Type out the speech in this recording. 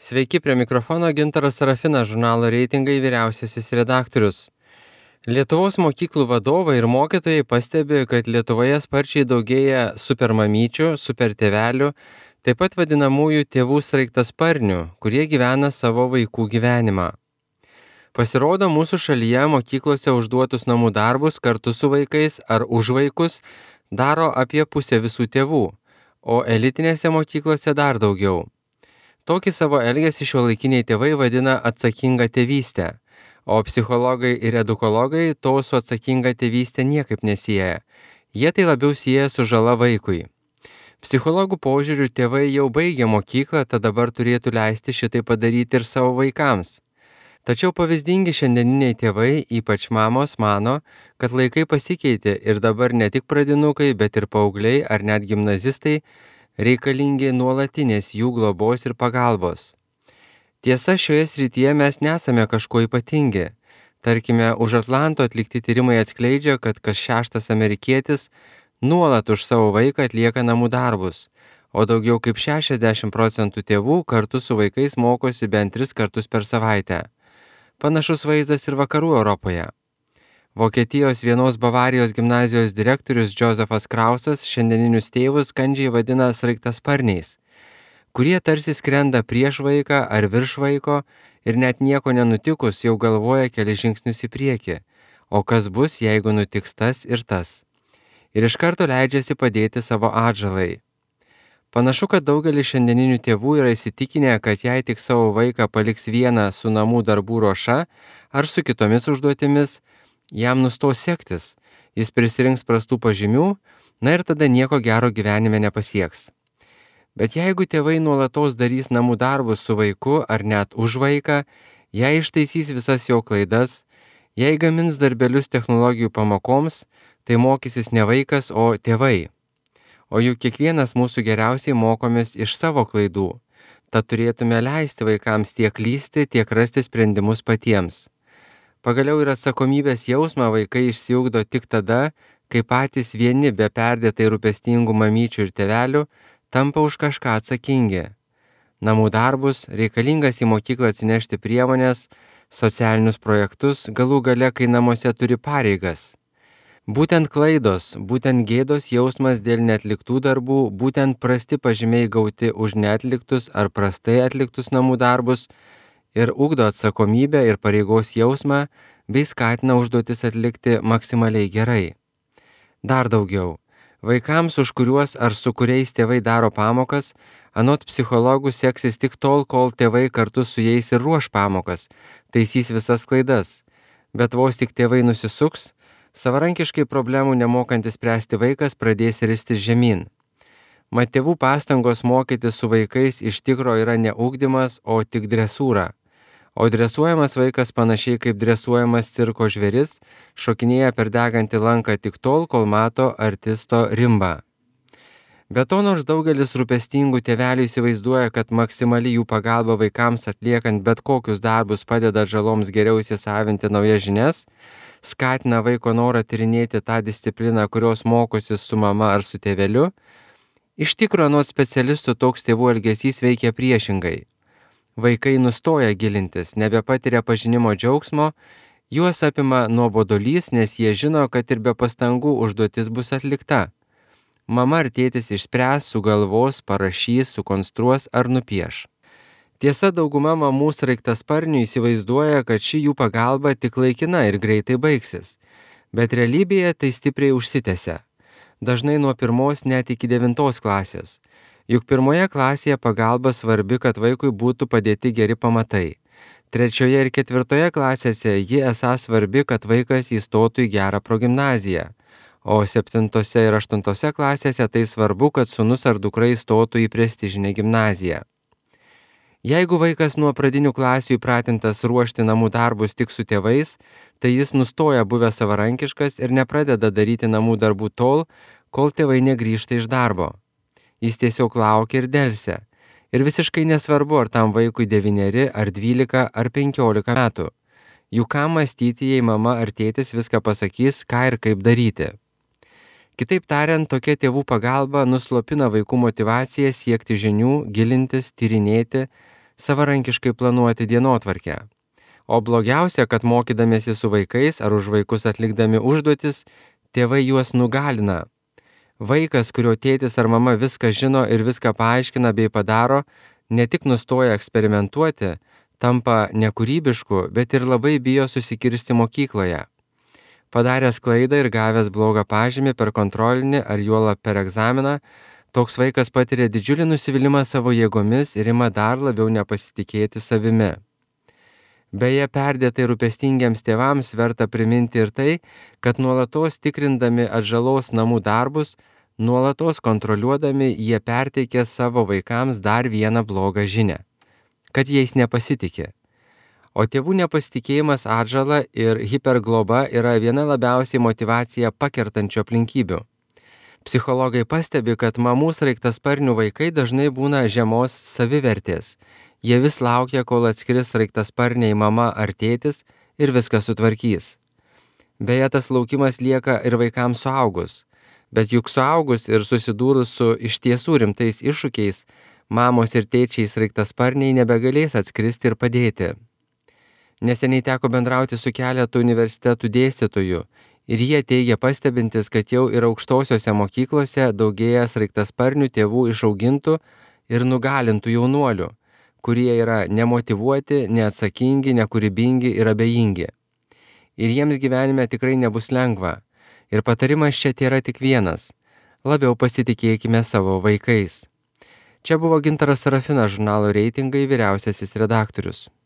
Sveiki, prie mikrofono Gintaras Sarafinas, žurnalo Reitingai vyriausiasis redaktorius. Lietuvos mokyklų vadovai ir mokytojai pastebi, kad Lietuvoje sparčiai daugėja supermamyčių, supertėvelių, taip pat vadinamųjų tėvų sraigtasparnių, kurie gyvena savo vaikų gyvenimą. Pasirodo, mūsų šalyje mokyklose užduotus namų darbus kartu su vaikais ar už vaikus daro apie pusę visų tėvų, o elitinėse mokyklose dar daugiau. Tokį savo elgesį šiuolaikiniai tėvai vadina atsakinga tėvystė, o psichologai ir edukologai to su atsakinga tėvystė niekaip nesieja. Jie tai labiau sieja su žala vaikui. Psichologų požiūriu tėvai jau baigė mokyklą, tad dabar turėtų leisti šitai padaryti ir savo vaikams. Tačiau pavyzdingi šiandieniniai tėvai, ypač mamos, mano, kad laikai pasikeitė ir dabar ne tik pradinukai, bet ir paaugliai ar net gimnazistai reikalingi nuolatinės jų globos ir pagalbos. Tiesa, šioje srityje mes nesame kažko ypatingi. Tarkime, už Atlanto atlikti tyrimai atskleidžia, kad kas 6 amerikietis nuolat už savo vaiką atlieka namų darbus, o daugiau kaip 60% tėvų kartu su vaikais mokosi bent 3 kartus per savaitę. Panašus vaizdas ir vakarų Europoje. Vokietijos vienos Bavarijos gimnazijos direktorius Josefas Krausas šiandieninius tėvus kandžiai vadina sraigtasparniais, kurie tarsi skrenda prieš vaiką ar virš vaiko ir net nieko nenutikus jau galvoja keli žingsnius į priekį, o kas bus, jeigu nutiks tas ir tas. Ir iš karto leidžiasi padėti savo atžalai. Panašu, kad daugelis šiandieninių tėvų yra įsitikinę, kad jei tik savo vaiką paliks vieną su namų darbų ruoša ar su kitomis užduotimis, jam nustos sektis, jis prisirinks prastų pažymių, na ir tada nieko gero gyvenime nepasieks. Bet jeigu tėvai nuolatos darys namų darbus su vaiku ar net už vaiką, jei ištaisys visas jo klaidas, jei gamins darbelius technologijų pamokoms, tai mokysis ne vaikas, o tėvai. O juk kiekvienas mūsų geriausiai mokomės iš savo klaidų, tad turėtume leisti vaikams tiek klysti, tiek rasti sprendimus patiems. Pagaliau ir atsakomybės jausmą vaikai išsiugdo tik tada, kai patys vieni be perdėtai rūpestingų mamyčių ir tėvelių tampa už kažką atsakingi. Namų darbus, reikalingas į mokyklą atsinešti priemonės, socialinius projektus, galų gale, kai namuose turi pareigas. Būtent klaidos, būtent gėdos jausmas dėl neatliktų darbų, būtent prasti pažymiai gauti už neatliktus ar prastai atliktus namų darbus ir ugdo atsakomybę ir pareigos jausmą, bei skatina užduotis atlikti maksimaliai gerai. Dar daugiau. Vaikams, už kuriuos ar su kuriais tėvai daro pamokas, anot psichologų seksis tik tol, kol tėvai kartu su jais ir ruoš pamokas, taisys visas klaidas. Bet vos tik tėvai nusisuks, savarankiškai problemų nemokantis spręsti vaikas pradės ristis žemyn. Mat tėvų pastangos mokytis su vaikais iš tikro yra ne ugdymas, o tik dresūra. O dresuojamas vaikas panašiai kaip dresuojamas cirko žvėris, šokinėja per degantį lanką tik tol, kol mato artisto rimbą. Be to, nors daugelis rūpestingų tėvelių įsivaizduoja, kad maksimali jų pagalba vaikams atliekant bet kokius darbus padeda žaloms geriau įsisavinti naujas žinias, skatina vaiko norą tyrinėti tą discipliną, kurios mokosi su mama ar su tėveliu, iš tikro anot specialistų toks tėvų elgesys veikia priešingai. Vaikai nustoja gilintis, nebepatiria pažinimo džiaugsmo, juos apima nuobodulys, nes jie žino, kad ir be pastangų užduotis bus atlikta. Mama ar tėtis išspręs, sugalvos, parašys, sukonstruos ar nupieš. Tiesa, dauguma mamų sraigtasparnių įsivaizduoja, kad ši jų pagalba tik laikina ir greitai baigsis, bet realybėje tai stipriai užsitęsia. Dažnai nuo 1 net iki 9 klasės. Juk 1 klasėje pagalba svarbi, kad vaikui būtų padėti geri pamatai. 3 ir 4 klasėse ji esą svarbi, kad vaikas įstotų į gerą progimnaziją. O 7 ir 8 klasėse tai svarbu, kad sūnus ar dukra įstotų į prestižinę gimnaziją. Jeigu vaikas nuo pradinių klasių įpratintas ruošti namų darbus tik su tėvais, tai jis nustoja buvęs savarankiškas ir nepradeda daryti namų darbų tol, kol tėvai negrįžta iš darbo. Jis tiesiog laukia ir delsia. Ir visiškai nesvarbu, ar tam vaikui 9 ar 12 ar 15 metų. Juk ką mąstyti, jei mama ar tėtis viską pasakys, ką ir kaip daryti. Kitaip tariant, tokia tėvų pagalba nuslopina vaikų motyvaciją siekti žinių, gilintis, tyrinėti, savarankiškai planuoti dienotvarkę. O blogiausia, kad mokydamiesi su vaikais ar už vaikus atlikdami užduotis, tėvai juos nugalina. Vaikas, kurio tėtis ar mama viską žino ir viską paaiškina bei padaro, ne tik nustoja eksperimentuoti, tampa nekūrybišku, bet ir labai bijo susikirsti mokykloje. Padaręs klaidą ir gavęs blogą pažymį per kontrolinį ar juolab per egzaminą, toks vaikas patiria didžiulį nusivylimą savo jėgomis ir ima dar labiau nepasitikėti savimi. Beje, perdėtai rūpestingiems tėvams verta priminti ir tai, kad nuolatos tikrindami atžalos namų darbus, nuolatos kontroliuodami, jie perteikia savo vaikams dar vieną blogą žinią – kad jais nepasitikė. O tėvų nepasitikėjimas atžala ir hipergloba yra viena labiausiai motyvaciją pakertančių aplinkybių. Psichologai pastebi, kad mamų sraigtasparnių vaikai dažnai būna žemos savivertės. Jie vis laukia, kol atskris sraigtasparniai mama ar tėtis ir viską sutvarkys. Beje, tas laukimas lieka ir vaikams suaugus. Bet juk suaugus ir susidūrus su iš tiesų rimtais iššūkiais, mamos ir tėčiai sraigtasparniai nebegalės atskristi ir padėti. Neseniai teko bendrauti su keletu universitetų dėstytojų ir jie teigia pastebintis, kad jau ir aukštosiose mokyklose daugėja sraigtasparnių tėvų išaugintų ir nugalintų jaunuolių, kurie yra nemotyvuoti, neatsakingi, nekūrybingi ir abejingi. Ir jiems gyvenime tikrai nebus lengva. Ir patarimas čia tėra tik vienas – labiau pasitikėkime savo vaikais. Čia buvo Gintaras Sarafinas, žurnalo Reitingai vyriausiasis redaktorius.